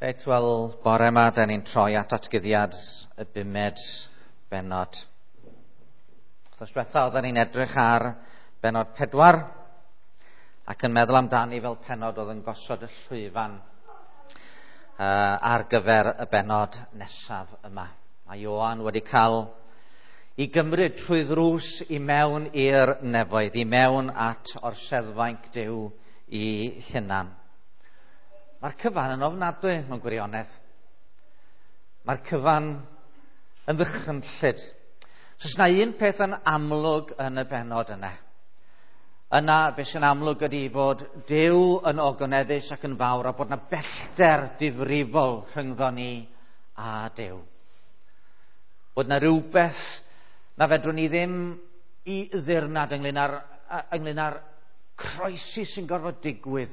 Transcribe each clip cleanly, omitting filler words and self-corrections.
Reit, wel, bore yma, da ni'n troi at atgyddiad y bumed bennod. Wrth diwetha, oedden ni'n edrych ar bennod 4 ac yn meddwl amdani fel pennod oedd yn gosod y llwyfan ar gyfer y bennod nesaf yma. Mae Ioan wedi cael i gymryd trwy ddrws i mewn i'r nefoedd, i mewn at orseddfainc Duw i hunan. Mae'r cyfan yn ofnadwy mewn gwirionedd. Mae'r cyfan yn ddychrynllyd. So, os na un peth yn amlwg yn y bennod yna, yna beth sy'n amlwg ydy fod Duw yn ogoneddus ac yn fawr a bod na bellter difrifol rhyngddo ni a Duw. Bod na rhywbeth na fedrwn ni ddim i ddirnad ynglyn â'r croesi sy'n gorfod digwydd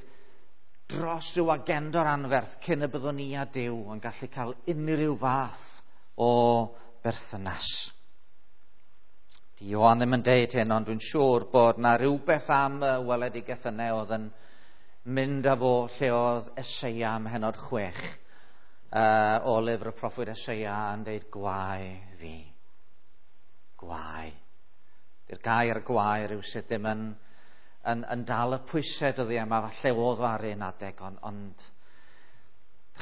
dros ryw agenda'r anferth cyn y byddwn ni a Duw yn gallu cael unrhyw fath o berthynas. Di Ioan ddim yn deud hyn, ond dwi'n siŵr bod na rhywbeth am y weledigaeth yna oedd yn mynd â fo lle oedd Eseia ym mhennod 6 o lyfr y proffwyd Eseia yn deud gwae fi. Gwae. Di'r gair gwae rhywsut ddim yn dal y pwysau dyddiau yma, falle oedd o ar un adeg, ond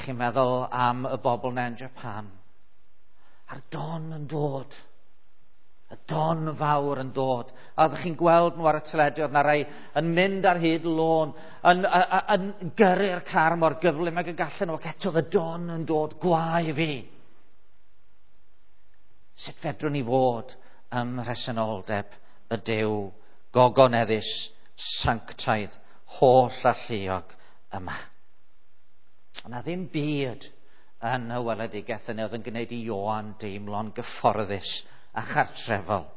chi'n meddwl am y bobl na yn Japan. A'r don yn dod. Y don fawr yn dod. A oeddech chi'n gweld nhw ar y teledu, oedd na rai yn mynd ar hyd lôn, yn gyrru'r car mor gyflym ag y gallen nhw, ac eto y don yn dod, gwae fi. Sut fedrwn ni fod ym mhresenoldeb y Duw gogoneddus, sanctaidd, holl alluog yma? Yna ddim byd yn y weledigaeth yna oedd yn gwneud i Ioan deimlo'n gyfforddus a chartrefol.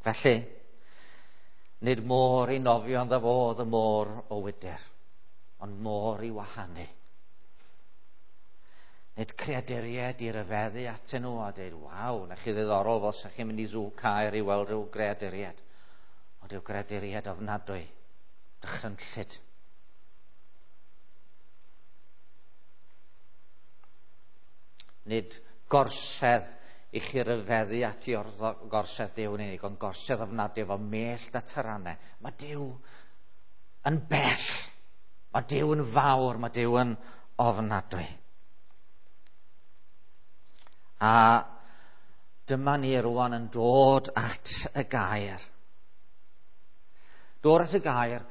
Felly, nid môr i nofio ynddo fo oedd y môr o wydr, ond môr i wahanu. Nid creaduriaid i ryfeddu atyn nhw a dweud, waw, na chi ddiddorol fel sa chi'n mynd i sŵ Caer i weld rhyw greaduriaid. Ond yw greaduriaid ofnadwy, dychrynllyd. Nid gorsedd i chi ryfeddu ati o'r gorsedd Duw yn unig, ond gorsedd ofnadwy efo mellt a taranau. Mae Duw yn bell. Mae Duw yn fawr. Mae Duw yn ofnadwy. A dyma ni rwan yn dod at y gair. Dod at y gair,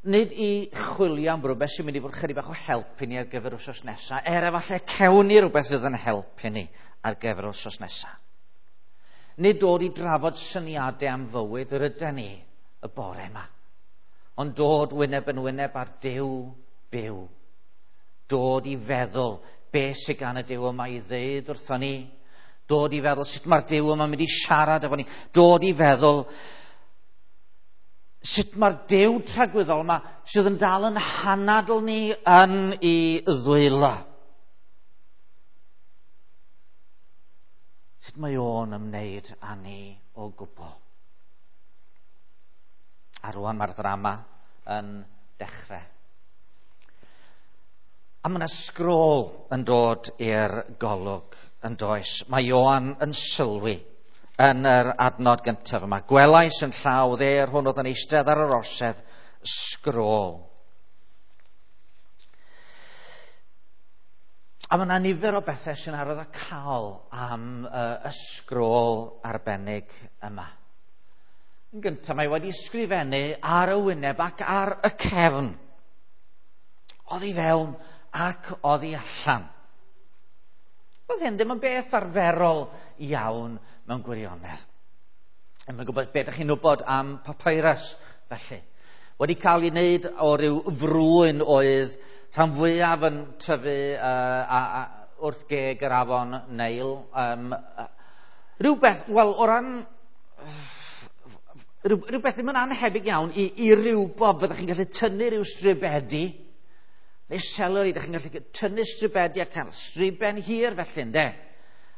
nid i chwilio am rhywbeth sy'n mynd i fod chydig bach o help i ni ar gyfer wythnos nesaf, er efallai cewn ni rhywbeth fydd yn helpu ni ar gyfer wythnos nesaf. Nid dod i drafod syniadau am fywyd yr ydyn ni y bore yma, ond dod wyneb yn wyneb ar Duw byw. Dod i feddwl beth sydd gan y Duw yma i ddeud wrthon ni, dod i feddwl sut mae'r Duw yma'n mynd i siarad efo ni, dod i feddwl sut mae'r Duw tragwyddol yma sydd yn dal yn hanadl ni yn ei ddwylo. Sut mae o'n ymwneud â ni o gwbl. A rwan mae'r ddrama yn dechrau. A mae yna sgrôl yn dod i'r golwg yn does. Mae Ioan yn sylwi yn yr adnod gyntaf yma. Gwelais yn llaw dde'r hwn oedd yn eistedd ar yr orsedd sgrôl. A mae yna nifer o bethau sy'n arwyddocaol am y sgrôl arbennig yma. Yn gyntaf, mae wedi sgrifennu ar y wyneb ac ar y cefn. Oddi fewn ac oddi allan. Oedd hyn ddim yn beth arferol iawn mewn gwirionedd. Yn gwybod beth ydych chi'n wybod am papyrus, felly. Wedi cael ei wneud o ryw frwyn oedd rhan fwyaf yn tyfu wrth geg yr afon Neil. Rhywbeth, wel, o ran rhywbeth ddim yn anhebyg iawn i rywbob fyddech chi'n gallu tynnu rhyw stribedi, neu seleri, ydych chi'n gallu tynnu stribedi a cael striben hir felly, ynde?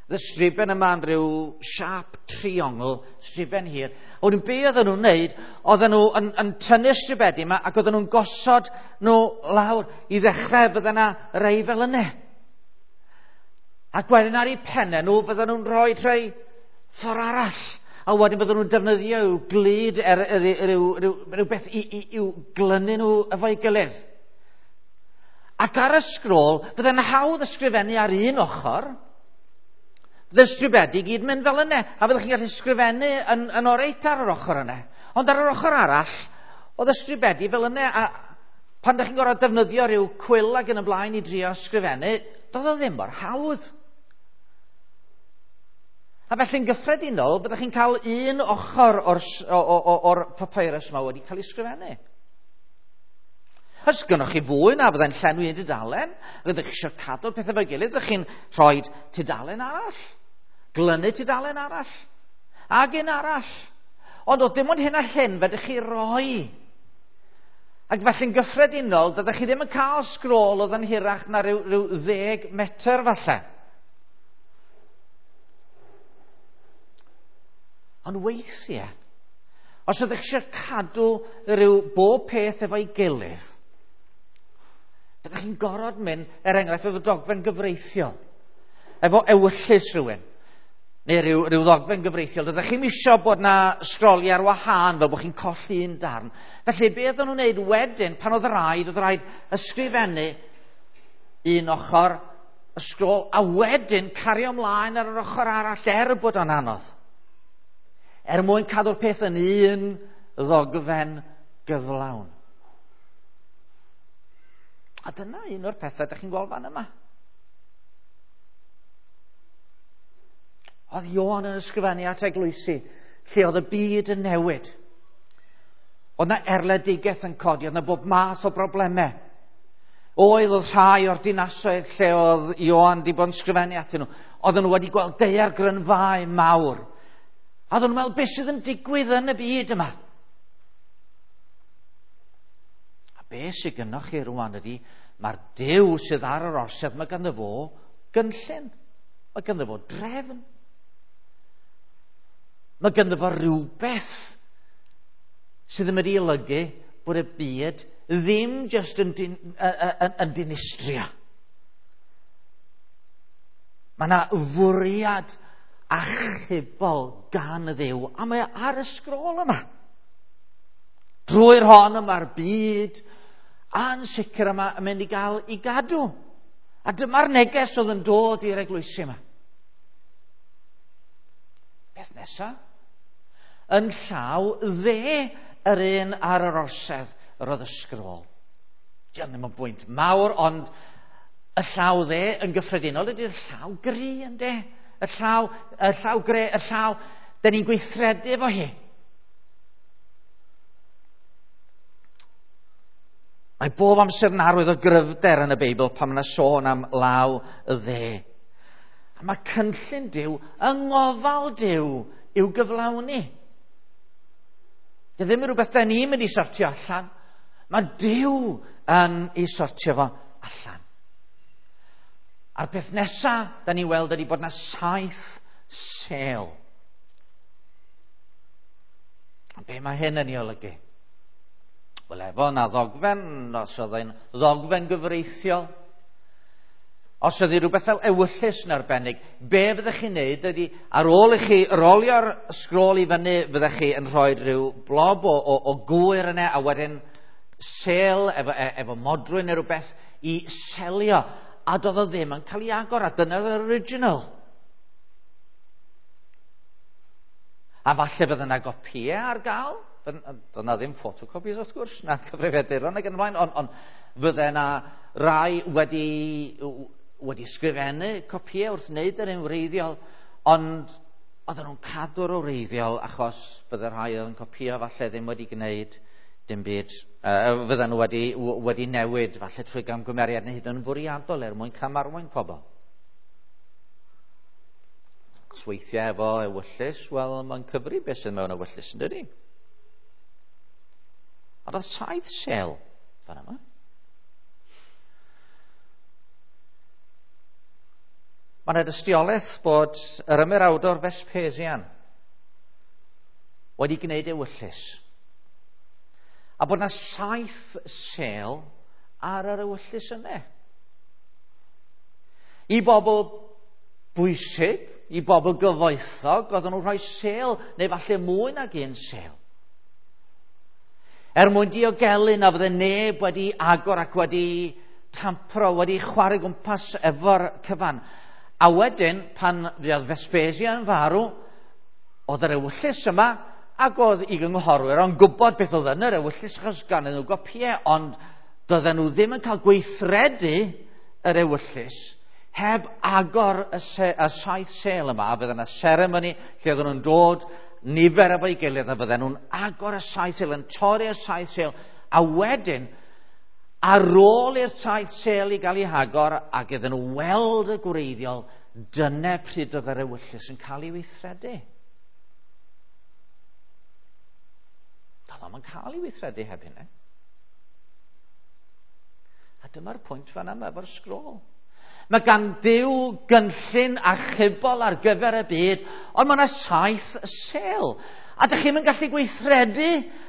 Y striben yma yn rhyw siap triongl, striben hir. A wedyn be oedden nhw'n wneud, oedden nhw yn tynnu'r stribedi yma ac oedden nhw'n gosod nhw lawr i ddechrau fydde yna rei fel yna. Ac wedyn ar eu pennau nhw fydden nhw'n rhoi rhai ffordd arall. A wedyn bydden nhw'n defnyddio i'w glud rhywbeth i'w glynu nhw efo'i gilydd. Ac ar y sgrôl, fydde'n hawdd ysgrifennu ar un ochr, fydde'r stribedi gyd mynd fel yna, a fyddech chi'n gallu ysgrifennu yn oreit ar yr ochr yna. Ond ar yr ochr arall, oedd y stribedi fel yna, a pan ydych chi'n gorfod defnyddio rhyw cwyl ac yn y blaen i drio ysgrifennu, doedd o ddim mor hawdd. A felly'n gyffredinol, byddech chi'n cael un ochr o'r papyrus yma wedi cael ei ysgrifennu. Os gynnoch chi fwy na fyddai'n llenwi un tudalen, rydych chi eisiau cadw'r pethau efo'i gilydd, ydych chi'n rhoi tudalen arall, glynu tudalen arall, ac un arall. Ond oedd dim ond hyn a hyn fedrwch chi roi. Ac felly'n gyffredinol, dydych chi ddim yn cael sgrôl oedd yn hirach na rhyw 10 metr falle. Ond weithiau, os ydych chi eisiau cadw rhyw bob peth efo'i gilydd, byddech chi'n gorfod mynd, er enghraifft, efo dogfen gyfreithiol, efo ewyllys rhywun, neu rhyw ddogfen gyfreithiol. Byddech chi'n isio bod na sgroliau ar wahân fel bod chi'n colli un darn. Felly, be oedden nhw'n wneud wedyn, pan oedd rhaid ysgrifennu un ochr y sgrôl, a wedyn cario ymlaen ar yr ochr arall er bod o'n anodd. Er mwyn cadw'r peth yn un ddogfen gyflawn. A dyna un o'r pethau ydych chi'n gweld fan yma. Oedd Ioan yn ysgrifennu at eglwysi, lle oedd y byd yn newid. Oedd yna erledigaeth yn codi, oedd yna bob math o broblemau. Oedd rhai o'r dinasoedd lle oedd Ioan wedi bod yn ysgrifennu atyn nhw. Oedden nhw wedi gweld daeargrynfâu mawr. A oedden nhw'n meddwl, beth sydd yn digwydd yn y byd yma? Be sydd gynnoch chi rwan ydy, mae'r Duw sydd ar yr orsedd, mae ganddo fo gynllun, mae ganddo fo drefn, mae ganddo fo rhywbeth sydd yn mynd i olygu bod y byd ddim jyst yn dinistrio. Mae yna fwriad achubol gan y Dduw, a mae ar y sgrôl yma. Drwy'r hon yma'r byd a'n sicr yma yn mynd i gael ei gadw. A dyma'r neges oedd yn dod i'r eglwysi yma. Beth nesa? Yn llaw dde yr un ar yr orsedd yr oedd y sgrôl. Diolch ddim yn bwynt mawr, ond y llaw dde yn gyffredinol ydy'r llaw gry, ynde? Y llaw gre, y llaw, da ni'n gweithredu efo hi. Mae bob amser yn arwydd o gryfder yn y Beibl pan mae yna sôn am law y dde. A mae cynllun Duw yng ngofal Duw i'w gyflawni. Dy ddim yn rhywbeth da ni'n mynd i sortio allan. Mae Duw yn ei sortio fo allan. A'r peth nesaf da ni'n weld ydy bod yna 7 sêl. A be mae hyn yn ei olygu? Wel, efo na ddogfen, os oedd e'n ddogfen gyfreithiol, os oedd rhywbeth fel ewyllys yn arbennig, be fyddech chi'n neud ydy, ar ôl i chi rolio'r sgrôl i fyny, fyddech chi yn rhoi rhyw blob o gwyr yna, a wedyn sêl efo modrwy neu rhywbeth i selio, a doedd o ddim yn cael ei agor, a dyna oedd yr original. A falle fydde yna gopïau ar gael. Doedd yna ddim photocopies wrth gwrs, na cyfrifiaduron ac yn y blaen, ond fydde yna rai wedi sgrifennu copïau wrth wneud yr un wreiddiol, ond oedden nhw'n cadw'r wreiddiol achos bydde rhai oedd yn copïo falle ddim wedi gwneud dim byd, fydden nhw wedi newid falle trwy gamgymeriad neu hyd yn fwriadol er mwyn camarwain pobl. Os weithiau efo ewyllys, wel, mae'n cyfri beth sydd mewn ewyllys, yn dydi? Ond oedd 7 sêl fan yma. Mae yna dystiolaeth bod yr ymerawdwr Vespasian wedi gwneud ewyllys. A bod yna 7 sêl ar yr ewyllys yna. I bobl bwysig, i bobl gyfoethog, oedden nhw'n rhoi sêl, neu falle mwy nag un sêl. Er mwyn diogelu na fydde neb wedi agor ac wedi tampro, wedi chwarae gwmpas efo'r cyfan. A wedyn, pan fuodd Vespasian farw, oedd yr ewyllys yma, ac oedd i gynghorwyr o'n gwybod beth oedd yn yr ewyllys, achos gan nhw gopïau, ond doedden nhw ddim yn cael gweithredu yr ewyllys heb agor y 7 sêl yma, a fydde yna seremoni lle oedden nhw'n dod nifer efo'i gilydd, a fydden nhw'n agor y 7 sêl, yn torri'r 7 sêl, a wedyn, ar ôl i'r 7 sêl i gael ei hagor, ac iddyn nhw weld y gwreiddiol, dyna pryd oedd yr ewyllys yn cael ei weithredu. Doedd o'm yn cael ei weithredu heb hynny. A dyma'r pwynt fan yma efo'r sgrôl. Mae gan Dduw gynllun achubol ar gyfer y byd, ond mae yna 7 sêl. A dych chi'm yn gallu gweithredu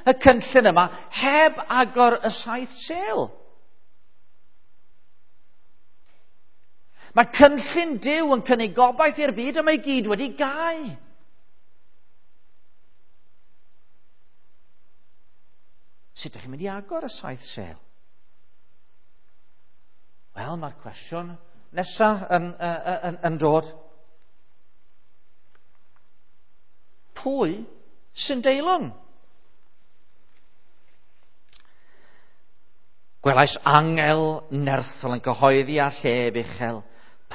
y cynllun yma heb agor y 7 sêl. Mae cynllun Duw yn cynnig gobaith i'r byd, a mae gyd wedi gau. Sut ydych chi'n mynd i agor y 7 sêl? Wel, mae'r cwestiwn nesaf yn dod. Pwy sy'n deilwng? Gwelais angel nerthol yn cyhoeddi â llef uchel.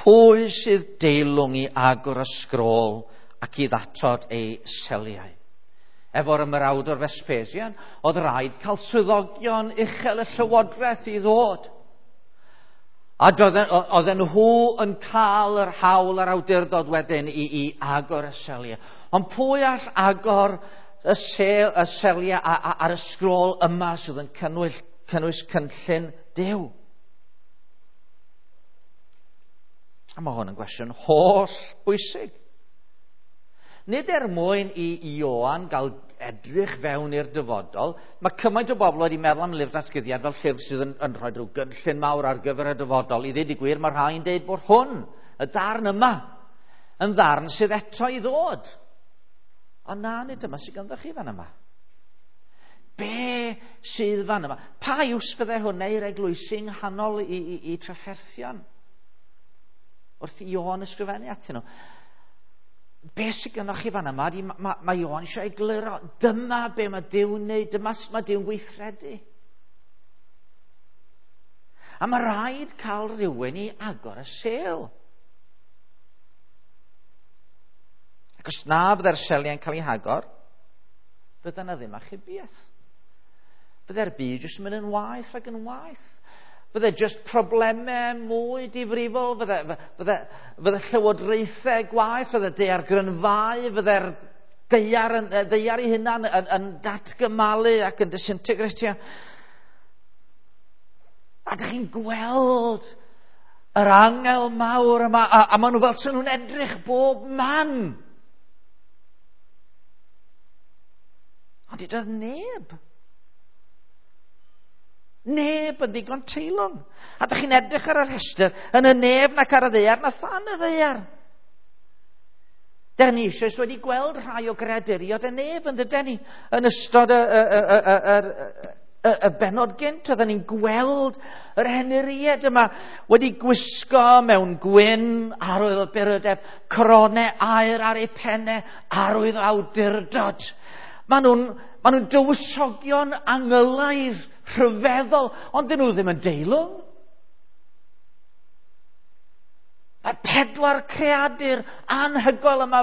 Pwy sydd deilwng i agor y sgrôl ac i ddatod ei seliau? Efo'r ymerawdwr Vespasian, oedd rhaid cael swyddogion uchel y llywodraeth i ddod. A oedden nhw yn cael yr hawl a'r awdurdod wedyn i agor y seliau. Ond pwy all agor y seliau ar y sgrôl yma sydd yn cynnwys cynllun Duw? A mae hwn yn gwestiwn holl bwysig. Nid er mwyn i Ioan gael edrych fewn i'r dyfodol, mae cymaint o bobl wedi meddwl am lyfr datguddiad fel llyfr sydd yn rhoi rhyw gynllun mawr ar gyfer y dyfodol. I ddweud y gwir, mae rhai'n deud bod hwn, y darn yma, yn ddarn sydd eto i ddod. Ond na, nid yma sydd ganddo chi fan yma. Be sydd fan yma? Pa iws fydde hwnna i'r eglwysi yng nghanol i trafferthion? Wrth i Ioan ysgrifennu atyn nhw. Be sydd gynnoch chi fan yma? Mae Ioan eisiau egluro. Dyma be mae Duw'n wneud, dyma sut mae Duw'n gweithredu. A mae rhaid cael rhywun i agor y sêl. Ac os na fydde'r seliau'n cael ei hagor, fydde yna ddim achubiaeth. Fydde'r byd jyst yn mynd yn waeth ac yn waeth. Fydde jyst problemau mwy difrifol, fydde llywodraethau gwaeth, fydde daeargrynfau, fydde'r ddaear ei hunan yn datgymalu ac yn disintegratio. A dych chi'n gweld yr angel mawr yma, a maen nhw fel sy'n nhw'n edrych bob man. Ond doedd neb. Neb yn ddigon teilwng. A dych chi'n edrych ar y rhestr yn y nef nac ar y ddaear na than y ddaear. Dych ni eisoes wedi gweld rhai o greaduriod y nef yn dydyn ni yn ystod y bennod gynt. Oedden ni'n gweld yr henuried yma wedi gwisgo mewn gwyn, arwydd o burdeb, coronau aur ar eu pennau, arwydd o awdurdod. Maen nhw'n dywysogion angylaidd, rhyfeddol, ond dyn nhw ddim yn deilwng. Mae 4 creadur anhygoel yma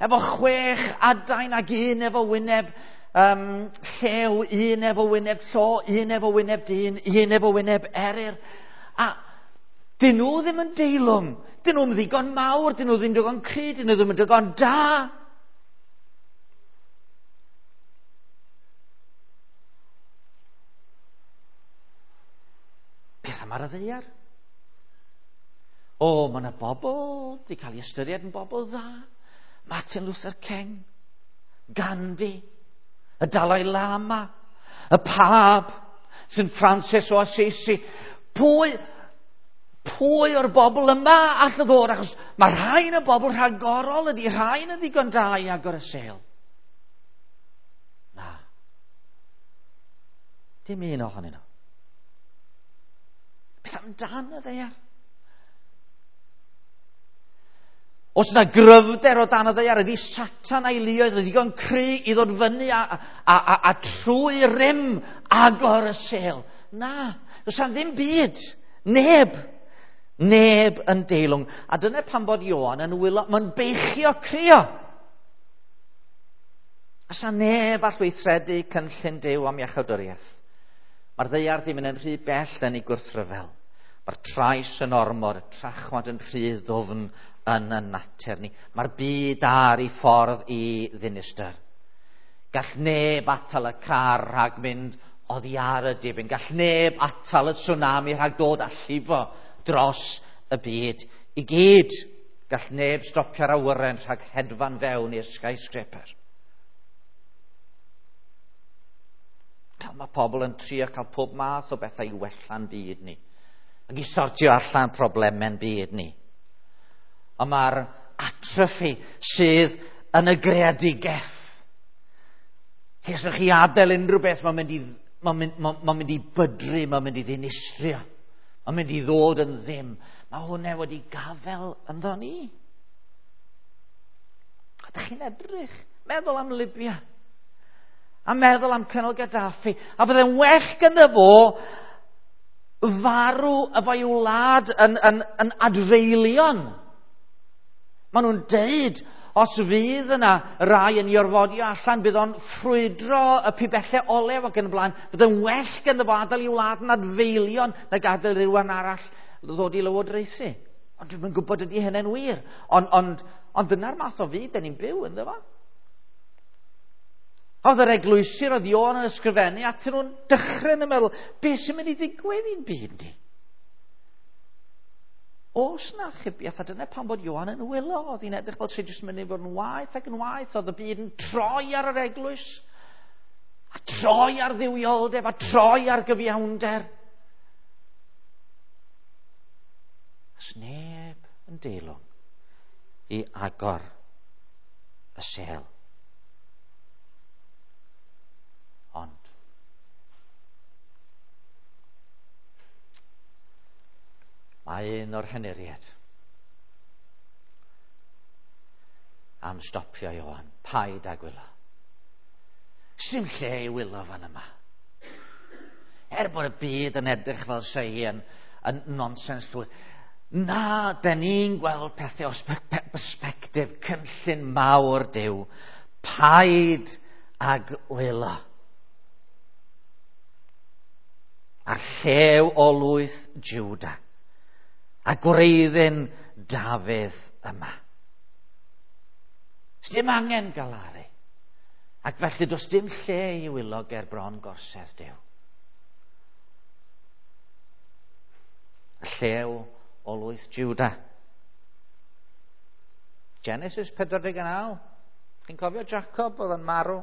efo 6 adain ac un efo wyneb llew, un efo wyneb llo, un efo wyneb dyn, un efo wyneb eryr. A dyn nhw ddim yn deilwng. Dyn nhw'n ddigon mawr, dyn nhw ddim digon cry, dyn nhw ddim yn digon da. Beth am ar y ddaear? O, mae yna bobl wedi cael ei ystyried yn bobl dda. Martin Luther King, Gandhi, y Dalai Lama, y Pab, St Francis o Assisi. Pwy o'r bobl yma all ddod? Achos mae rhain yn bobl rhagorol ydy, rhain yn ddigon da i agor y sêl. Na. Dim un ohonyn nhw. Beth amdan y ddaear? Os yna gryfder o dan y ddaear, ydy Satan a'i luoedd yn ddigon cry i ddod fyny a trwy rym agor y sêl. Na, does yna ddim byd. Neb. Neb yn deilwng. A dyna pam bod Ioan yn wylo, mae'n beichio crio. A sa neb all weithredu cynllun Duw am iachawdwriaeth. Mae'r ddaear ddim yn rhy bell yn ei gwrthryfel. Mae'r trais yn ormod, y trachwant yn rhy ddwfn yn y natur ni. Mae'r byd ar ei ffordd i ddinistr. Gall neb atal y car rhag mynd oddi ar y dibyn. Gall neb atal y tsunami rhag dod a llifo dros y byd i gyd. Gall neb stopio'r awyren rhag hedfan fewn i'r skyscraper. Mae pobl yn trio cael pob math o bethau i wella'n byd ni. Ac i sortio allan problemau'n byd ni. Ond mae'r atrophy sydd yn y greadigaeth. Lle os chi adael unrhyw beth, mae'n mynd i bydru, mae'n mynd i ddinistrio. Mae'n mynd i ddod yn ddim. Mae hwnna wedi gafel ynddo ni. A dych chi'n edrych, meddwl am Libya. A meddwl am Colonel Gaddafi. A fydde'n well gyda fo farw efo'i wlad yn adfeilion. Maen nhw'n deud, os fydd yna rai yn ei orfodi allan, bydd o'n ffrwydro y pibellau olew ac yn y blaen. Bydd yn well ganddo fo adael ei wlad yn adfeilion na gadael rhywun arall ddod i lywodraethu. Ond dwi'm yn gwybod ydy hynny'n wir. Ond dyna'r math o fyd 'dan ni'n byw ynddo fo. Oedd yr eglwysi oedd Ioan yn ysgrifennu atyn nhw'n dechrau yn y meddwl, beth sy'n mynd i ddigwydd i'n byd ni? Oes na achubiaeth, a dyna pam bod Ioan yn wylo, oedd hi'n edrych fel sy'n jyst mynd i fod yn waeth ac yn waeth, oedd y byd yn troi ar yr eglwys, a troi ar dduwioldeb, a troi ar gyfiawnder. Os neb yn deilwng i agor y sêl. Ond mae un o'r henuriaid am stopio Ioan. Paid â gwylo. Sdim lle i wylo fan yma. Er bod y byd yn edrych fel se hi yn nonsens llwyr. Na, den ni'n gweld pethau o perspectif cynllun mawr Duw. Paid ag wylo. A'r llew o lwyth Juda. A gwreiddyn Dafydd yma. Sdim angen galaru. Ac felly does dim lle i wylo ger bron gorsedd Duw. Y llew o lwyth Juda. Genesis 49. Chi'n cofio Jacob oedd yn marw?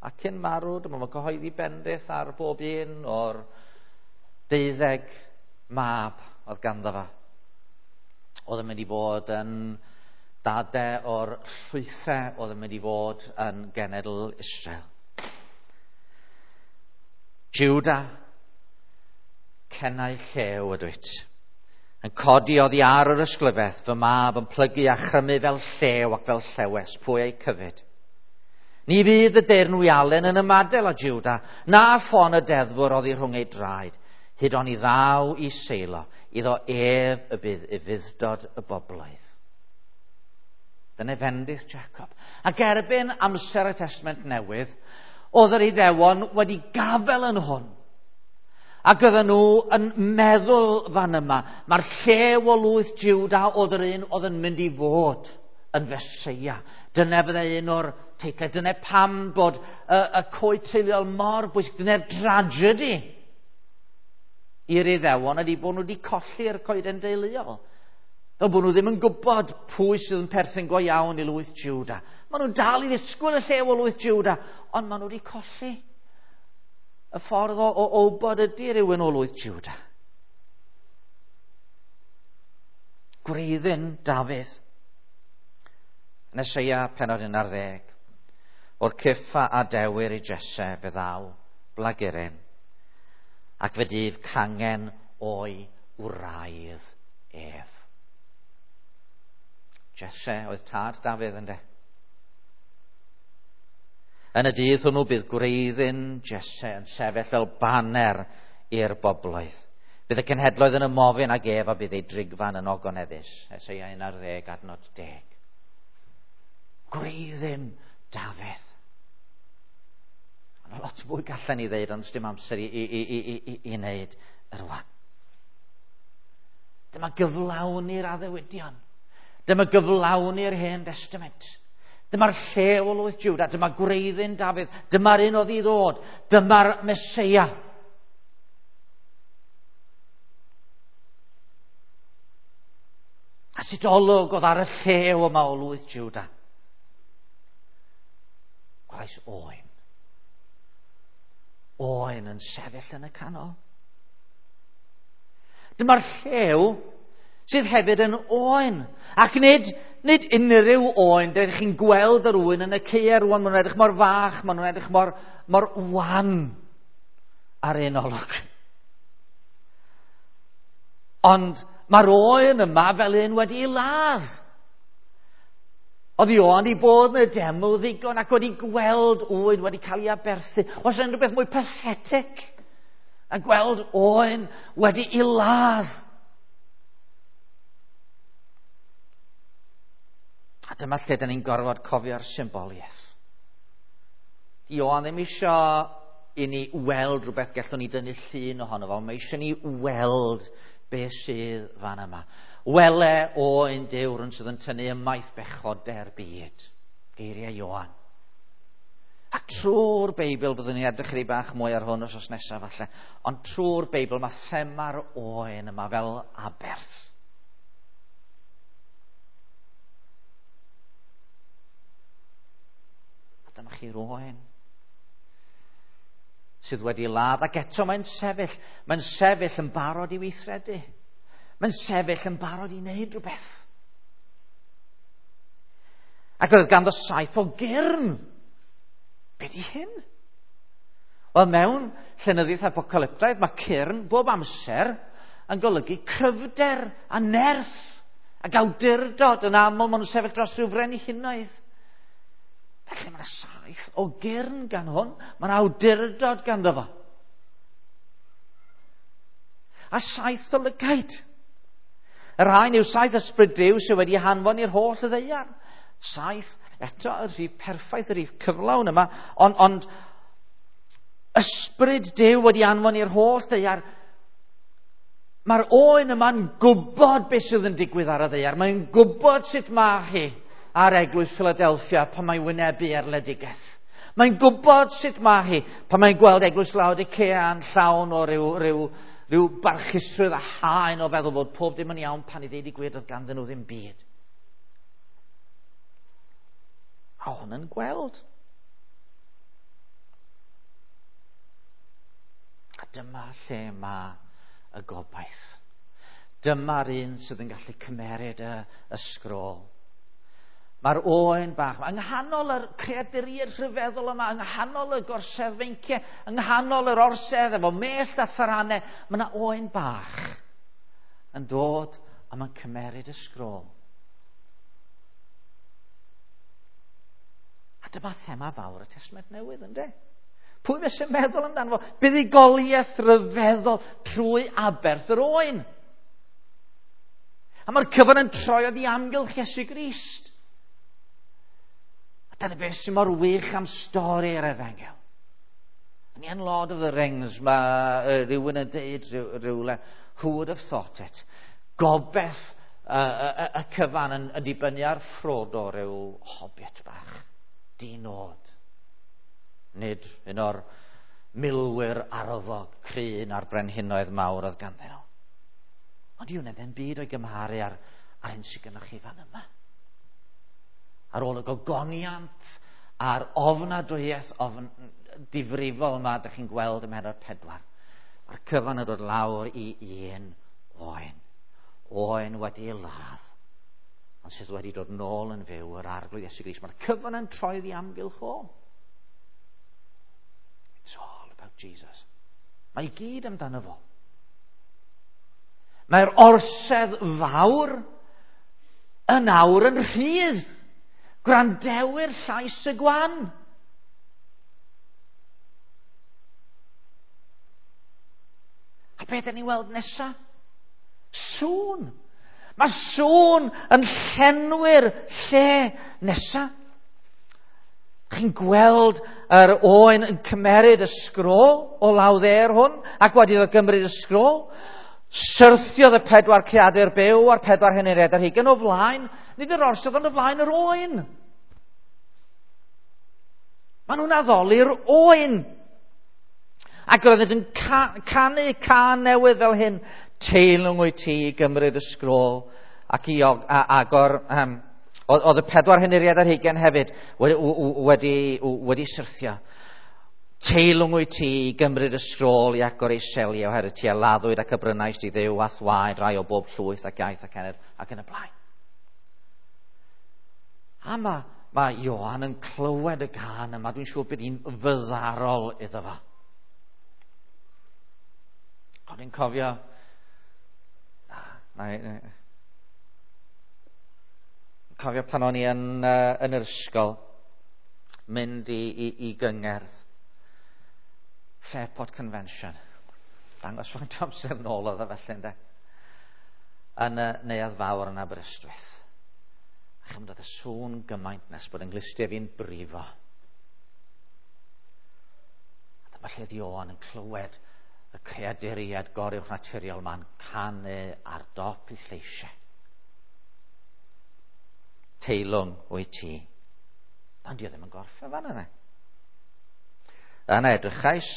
A cyn marw, dyma mae'n cyhoeddi bendith ar bob un o'r 12 mab oedd ganddo fo. Oedd yn mynd i fod yn dade o'r llwythau oedd yn mynd i fod yn genedl Israel. Juda, cenau llew ydw i. Yn codi oddi ar yr ysglyfaeth, fy mab yn plygu a chrymu fel llew ac fel llewes, pwy ei cyfyd. Ni fydd y deyrnwialen yn ymadael â Juda, na ffon y deddfwr oddi rhwng ei draed, hyd oni ddaw i Seilo, iddo ef y bydd ufudd-dod y bobloedd. Dyna fendith Jacob. Ac erbyn amser y Testament Newydd, oedd yr Iddewon wedi gafel yn hwn. Ac oedden nhw yn meddwl fan yma, mae'r llew o lwyth Juda oedd yr un oedd yn mynd i fod yn Feseia. Dyna fydde un o'r teitlau. Dyna pam bod y coed teuluol mor bwysig. Dyna'r tragedy i'r Iddewon ydy bod nhw wedi colli'r coeden deuluol. Fel bod nhw ddim yn gwybod pwy sydd yn perthyn go iawn i lwyth Juda. Maen nhw'n dal i ddisgwyl y llew o lwyth Juda, ond maen nhw wedi colli y ffordd o wybod ydy rhywun o lwyth Juda. Gwreiddyn Dafydd. Yn Eseia pennod 11. O'r cyffa a dewyr i Jesse fe ddaw blaguryn, ac fe dyf cangen o'i wraidd ef. Jesse oedd tad Dafydd, ynde? Yn y dydd hwnnw bydd gwreiddyn Jesse yn sefyll fel baner i'r bobloedd. Bydd y cenhedloedd yn ymofyn ag ef a bydd ei drigfan yn ogoneddus. Eseia 11 adnod 10. Gwreiddyn Dafydd. Mae lot mwy gallen ni ddeud, ond dim amser i wneud rwan. Dyma gyflawni'r addewidion. Dyma gyflawni'r Hen Testament. Dyma'r llew o lwyth Juda, dyma gwreiddyn Dafydd, dyma'r un oedd i ddod, dyma'r Meseia. A sut olwg oedd ar y llew yma o lwyth Juda? Gwelais oen. Oen yn sefyll yn y canol. Dyma'r llew sydd hefyd yn oen. Ac nid unrhyw oen. Dych chi'n gweld yr oen yn y caeau rwan. Maen nhw'n edrych mor fach, maen nhw'n edrych mor wan ar un olwg. Ond mae'r oen yma fel un wedi ei ladd. Oedd Ioan i bod yn y deml ddigon ac wedi gweld oen wedi cael ei aberthu. Oes yna rhywbeth mwy pathetic a gweld oen wedi ei ladd? A dyma lle dyn ni'n gorfod cofio'r symboliaeth. Ioan ddim eisiau i ni weld rhywbeth gallwn ni dynnu llun ohono fo. Mae eisiau ni weld beth sydd fan yma. Wele oen Duw rhywun sydd yn tynnu ymaith bechodau'r byd. Geiriau Ioan. A trwy'r Beibl, byddwn ni'n edrych chydig bach mwy ar hwn wythnos nesaf falle, ond trwy'r Beibl mae thema'r oen yma fel aberth. A dyma chi'r oen sydd wedi ladd, ac eto mae'n sefyll yn barod i weithredu. Mae'n sefyll yn barod i wneud rhywbeth. Ac oedd ganddo 7 o gyrn. Be di hyn? Wel, mewn llenyddiaeth apocalyptaidd, mae cyrn bob amser yn golygu cryfder a nerth ac awdurdod. Yn aml, maen nhw'n sefyll dros rhyw frenhinoedd. Felly mae yna 7 o gyrn gan hwn. Mae yna awdurdod ganddo fo. A 7 o lygaid. Y rhain yw 7 ysbryd Duw sydd wedi hanfon i'r holl ddaear. 7, eto, y rhif perffaith, y rhif cyflawn yma, ond ysbryd Duw wedi anfon i'r holl ddaear. Mae'r oen yma'n gwybod beth sydd yn digwydd ar y ddaear. Mae'n gwybod sut mae hi ar eglwys Philadelphia pan mae'n wynebu erledigaeth. Mae'n gwybod sut mae hi pan mae'n gweld eglwys Laodicea yn llawn o ryw barchusrwydd a haen o feddwl bod pob dim yn iawn pan i ddeud i gwir oedd ganddyn nhw ddim byd. A hwn yn gweld. A dyma lle mae y gobaith. Dyma'r un sydd yn gallu cymeryd y sgrôl. Mae'r oen bach, yng nghanol yr creaduriaid rhyfeddol yma, yng nghanol y gorsedd feinciau, yng nghanol yr orsedd efo mellt a tharanau, mae yna oen bach yn dod a mae'n cymeryd y sgrôl. A dyma thema fawr y Testament Newydd, ynddo? Pwy fysa'n meddwl amdano fo? Buddugoliaeth rhyfeddol trwy aberth yr oen. A mae'r cyfan yn troi oddi amgylch Iesu Grist. A dyna beth sy'n mor wych am stori'r Efengyl. Yn iawn Lord of the Rings, mae rhywun yn deud rhywle, who would have thought it? Gobeith y cyfan yn dibynnu ar Frodo rhyw hobbit bach. Di-nod. Nid un o'r milwyr arfog cryn a'r brenhinoedd mawr oedd ganddyn nhw. Ond yw ddim byd o'i gymharu a'r hyn sydd gennych chi fan yma. Ar ôl y gogoniant a'r ofnadwyaeth ofn difrifol yma ydych chi'n gweld ym mhennod 4. Mae'r cyfan yn dod lawr i un oen. Oen wedi ei ladd, ond sydd wedi dod nôl yn fyw, yr Arglwydd Iesu Grist. Mae'r cyfan yn troi ddi amgylch o. It's all about Jesus. Mae i gyd amdano fo. Mae'r orsedd fawr yn awr yn rhydd. Gwrandewyr llais y gwan. A beth ydyn ni'n weld nesa? Sŵn. Mae sŵn yn llenwi'r lle nesa. Chi'n gweld yr oen yn cymeryd y sgrôl o law dde'r hwn, ac wedi iddo gymryd y sgrôl, syrthiodd y 4 creadur byw a'r 4 henuriad ar hugain o flaen, nid yr orsedd ond o flaen yr oen. Maen nhw'n addoli'r oen. Ac roeddent yn canu cân newydd fel hyn, teilwng wyt ti i gymryd y sgrôl ac i agor... Oedd y 4 henuriad ar hugain hefyd wedi syrthio. Teilwng wyt ti i gymryd y sgrôl i agor ei seliau, oherwydd ti a laddwyd ac y brynais di Dduw a'th waed rai o bob llwyth ac iaith ac cenedl ac yn y blaen. A mae Ioan yn clywed y gân yma, dwi'n siŵr bydd hi'n fyddarol iddo fo. O'n i'n cofio... Na, cofio pan o'n i yn yr ysgol, mynd i gyngerdd, Fairport Convention. Dangos faint o amser nôl oedd o felly, ynde? Yn y Neuadd Fawr yn Aberystwyth. A chymryd oedd y sŵn gymaint nes bod yng nghlustiau fi'n brifo. A dyma lle oedd Ioan yn clywed y creaduriaid goruwchnaturiol ma'n canu ar dop i lleisiau. Teilwng wyt ti. Ond di o ddim yn gorffen fan yna. Yna edrychais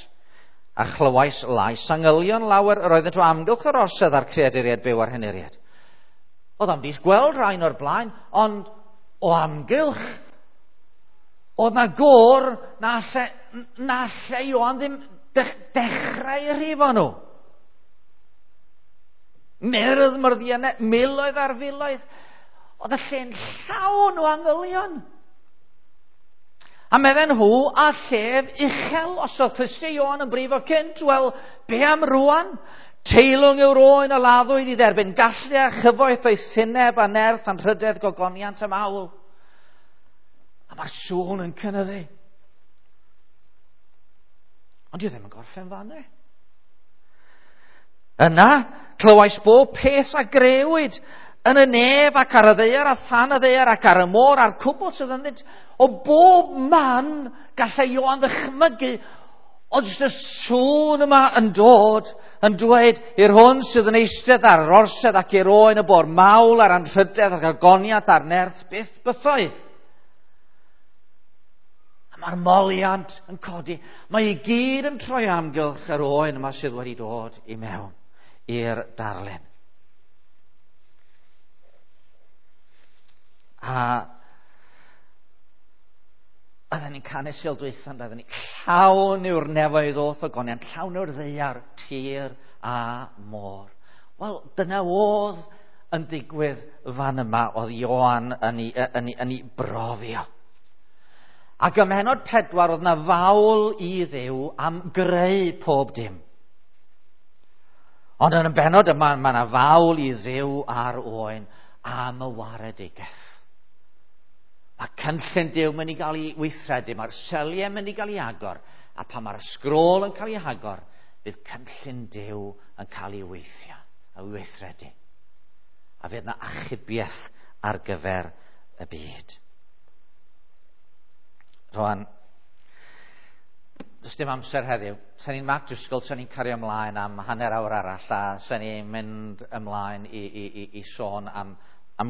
a chlywais lais angylion lawer yr oeddent o amgylch yr orsedd a'r creaduriaid byw a'r henuriaid. Oedd am dis gweld rhain o'r blaen, ond o amgylch oedd na gôr na lle Ioan ddim dechrau rhifo nhw. Myrdd, myrddiannau, miloedd ar filoedd. Oedd y lle'n llawn o angylion. A medden nhw a llef uchel, os oedd clustiau Ioan yn brifo cynt, wel, be am rwan? Teilwng yw'r oen a laddwyd i dderbyn gallu a chyfoeth o'i syneb a nerth anrhydedd gogoniant am awl. A mae'r sŵn yn cynyddu. Ond dwi ddim yn gorffen fan e. Yna, clywais bob peth a grëwyd yn y nef ac ar y ddaear a than y ddaear ac ar y môr a'r cwbl sydd ynddynt. O bob man gallai Ioan ddychmygu, ond jyst y sŵn yma yn dod, yn dweud i'r hwn sydd yn eistedd ar yr orsedd ac i'r oen y bo'r mawl a'r anrhydedd ac agoniad a'r nerth byth bythoedd. A mae'r moliant yn codi. Mae i gyd yn troi amgylch yr oen yma sydd wedi dod i mewn i'r darlun. A oedden ni'n canu Sul dwytha, oedden ni llawn yw'r nefoedd o'th ogoniant, llawn yw'r ddaear, tir a môr. Wel, dyna oedd yn digwydd fan yma, oedd Ioan yn ei brofio. Ac ym mhennod 4 oedd na fawl i Dduw am greu pob dim. Ond yn y bennod yma, mae na fawl i Dduw a'r oen am y waredigaeth. Mae cynllun Duw mynd i gael ei weithredu, mae'r seliau mynd i gael ei agor, a pan mae'r sgrôl yn cael ei agor, bydd cynllun Duw yn cael ei weithio, a weithredu. A fydd na achubiaeth ar gyfer y byd. Rwan, does dim amser heddiw. Sa'n ni'n Mark Driscoll, sa'n ni'n cario ymlaen am hanner awr arall, a sa'n ni'n mynd ymlaen i sôn am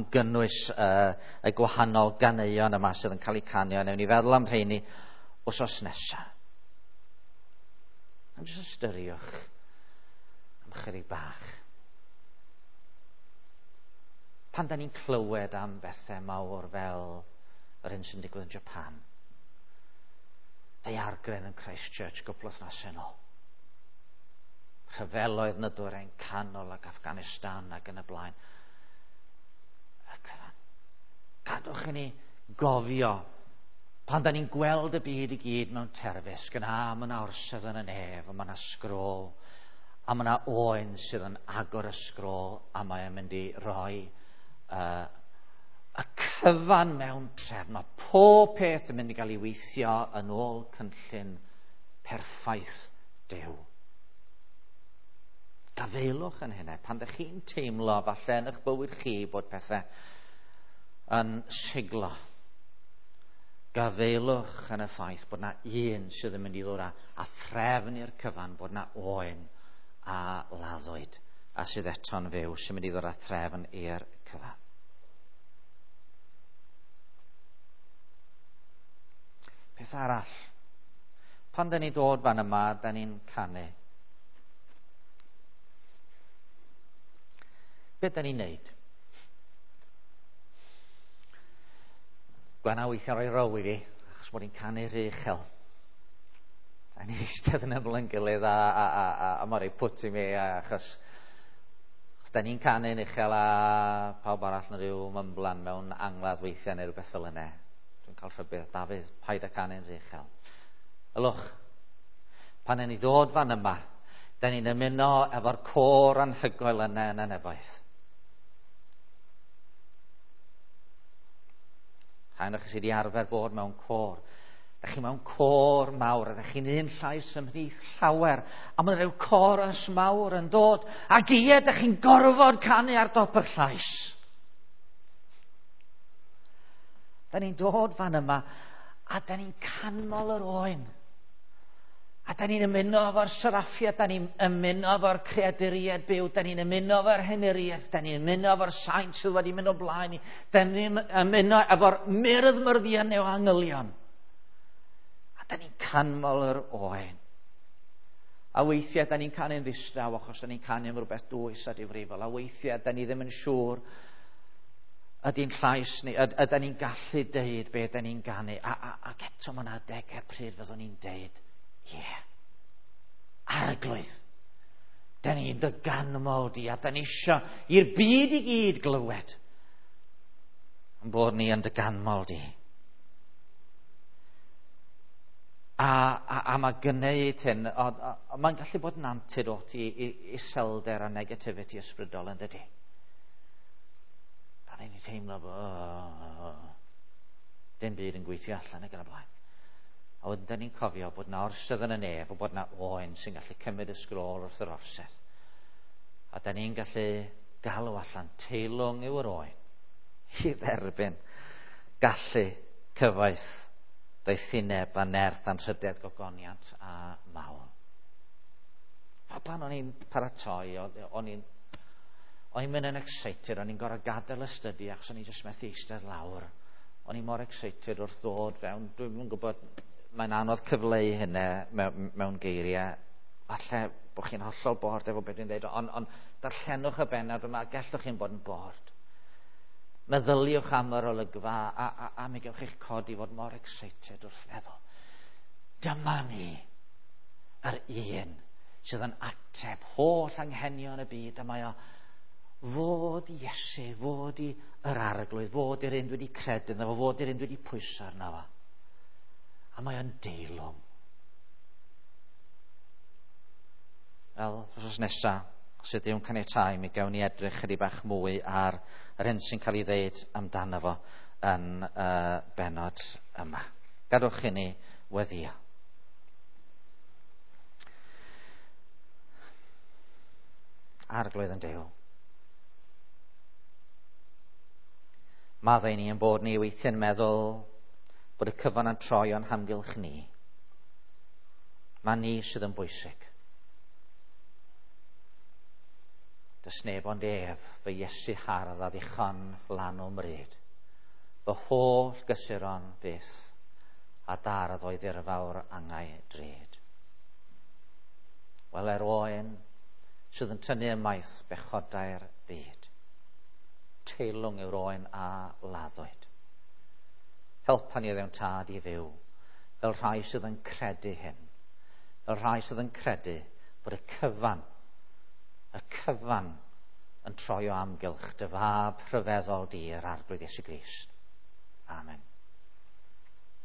gynnwys y gwahanol ganeuon yma sydd yn cael eu canio. Newn ni feddwl am rheini wsos nesaf. Am jyst ystyriwch am chydig bach. Pan da ni'n clywed am bethau mawr fel yr hyn sy'n digwydd yn Japan, daeargryn yn Christchurch gwpl wythnosau nôl, rhyfeloedd yn y dwyrain canol ac Afghanistan ac yn y blaen. Y cyfan. Gadwch i ni gofio pan da ni'n gweld y byd i gyd mewn terfysg, yn a, mae yna orsedd yn y nef, a mae yna sgrôl, a mae yna oen sydd yn agor y sgrôl, a mae'n mynd i roi y cyfan mewn trefn. Mae pob peth yn mynd i gael ei weithio yn ôl cynllun perffaith Duw. Gafaelwch yn hynny. Pan ydych chi'n teimlo falle yn eich bywyd chi bod pethau yn siglo, gafaelwch yn y ffaith bod na un sydd yn mynd i ddod â threfn i'r cyfan, bod na oen a laddwyd a sydd eto'n fyw sy'n mynd i ddod â threfn i'r cyfan. Peth arall, pan da ni'n dod fan yma, da ni'n canu. Be da ni'n neud? Gwenna weithiau rhoi row i fi, achos bod ni'n canu rhy uchel. A ni'n eistedd yn ymyl yn gilydd a mae'n rhoi pwt i mi, achos da ni'n canu'n uchel a pawb arall yn rhyw mymblan mewn angladd weithiau neu rhywbeth fel yna. Dwi'n cael rhybudd, Dafydd, paid â canu'n rhy uchel. Ylwch, pan ni ddod fan yma, da ni'n ymuno efo'r côr anhygoel yna yn y nefoedd. Rhai ohonoch chi sydd wedi arfer bod mewn côr. Da chi mewn côr mawr, a da chi'n un llais ymhlith llawer, a mae rhyw chorus mawr yn dod, ac ie, da chi'n gorfod canu ar dop yr llais. Da ni'n dod fan yma, a da ni'n canmol yr oen. A da ni'n ymuno efo'r seraffiad, da ni'n ymuno efo'r creaduriaid byw, da ni'n ymuno efo'r henuriaid, da ni'n ymuno efo'r saint sydd wedi mynd o blaen ni, da ni'n ymuno efo'r myrdd myrddion o angylion. A da ni'n canmol yr oen. A weithiau da ni'n canu'n ddistaw achos da ni'n canu am rhywbeth dwys a difrifol. A weithiau da ni ddim yn siŵr ydy'n llais ni, ydy ni'n gallu deud be da ni'n ganu. Ac eto mae yna adegau pryd fyddwn ni'n deud, ie, yeah. Arglwydd, da ni'n dy ganmol di, a da ni isio i'r byd i gyd glywed yn bod ni yn dy ganmol di. A mae gwneud hyn, mae'n gallu bod yn antidote i iselder a negativity ysbrydol yn dydi. Da ni'n teimlo bod dim byd yn gweithio allan ac yn y blaen. A wedyn da ni'n cofio bod na orsedd yn y nef, a bod na oen sy'n gallu cymryd y sgrôl wrth yr orsedd. A da ni'n gallu galw allan teilwng yw'r oen i dderbyn gallu cyfoeth, doethineb a nerth anrhydedd gogoniant a mawl. A pan o'n i'n paratoi, o'n i'n mynd yn excited, o'n i'n gorfod gadael y study achos o'n i'n just methu eistedd lawr. O'n i'n mor excited wrth ddod fewn, dwi'n gwybod, mae'n anodd cyfleu hynny mewn geiriau. Falle bod chi'n hollol bored efo beth dwi'n dweud, ond darllenwch y bennod yma, gallwch chi'n bod yn bored. Meddyliwch am yr olygfa a mi gewch chi'ch codi fod mor excited wrth feddwl. Dyma ni, yr un sydd yn ateb holl anghenion y byd, a mae o fod i Iesu, fod i yr Arglwydd, fod i'r un dwi wedi credu ynddo fo, fod i'r un dwi wedi pwyso arno fo. A mae o'n deilwng. Wel, wythnos nesa, os ydy o'n caniatáu, mi gawn ni edrych chydig bach mwy ar yr hyn sy'n cael ei ddeud amdano fo yn y bennod yma. Gadwch i ni weddïo. Arglwydd yn Duw, maddau ni yn bod ni weithiau'n meddwl bod y cyfan yn troi o'n hamgylch ni. Mae ni sydd yn bwysig. Does neb ond ef, fy Iesu hardd a ddichon lan o'm mryd. Fy holl gysuron byth a dardd oedd dirfawr angau drud. Wel, er oen sydd yn tynnu ymaith bechodau'r byd. Teilwng yw'r oen a laddwyd. Helpa ni ddewn tad i fyw fel rhai sydd yn credu hyn. Fel rhai sydd yn credu bod y cyfan, y cyfan yn troi o amgylch dy fab rhyfeddol di yr Arglwydd Iesu Grist. Amen.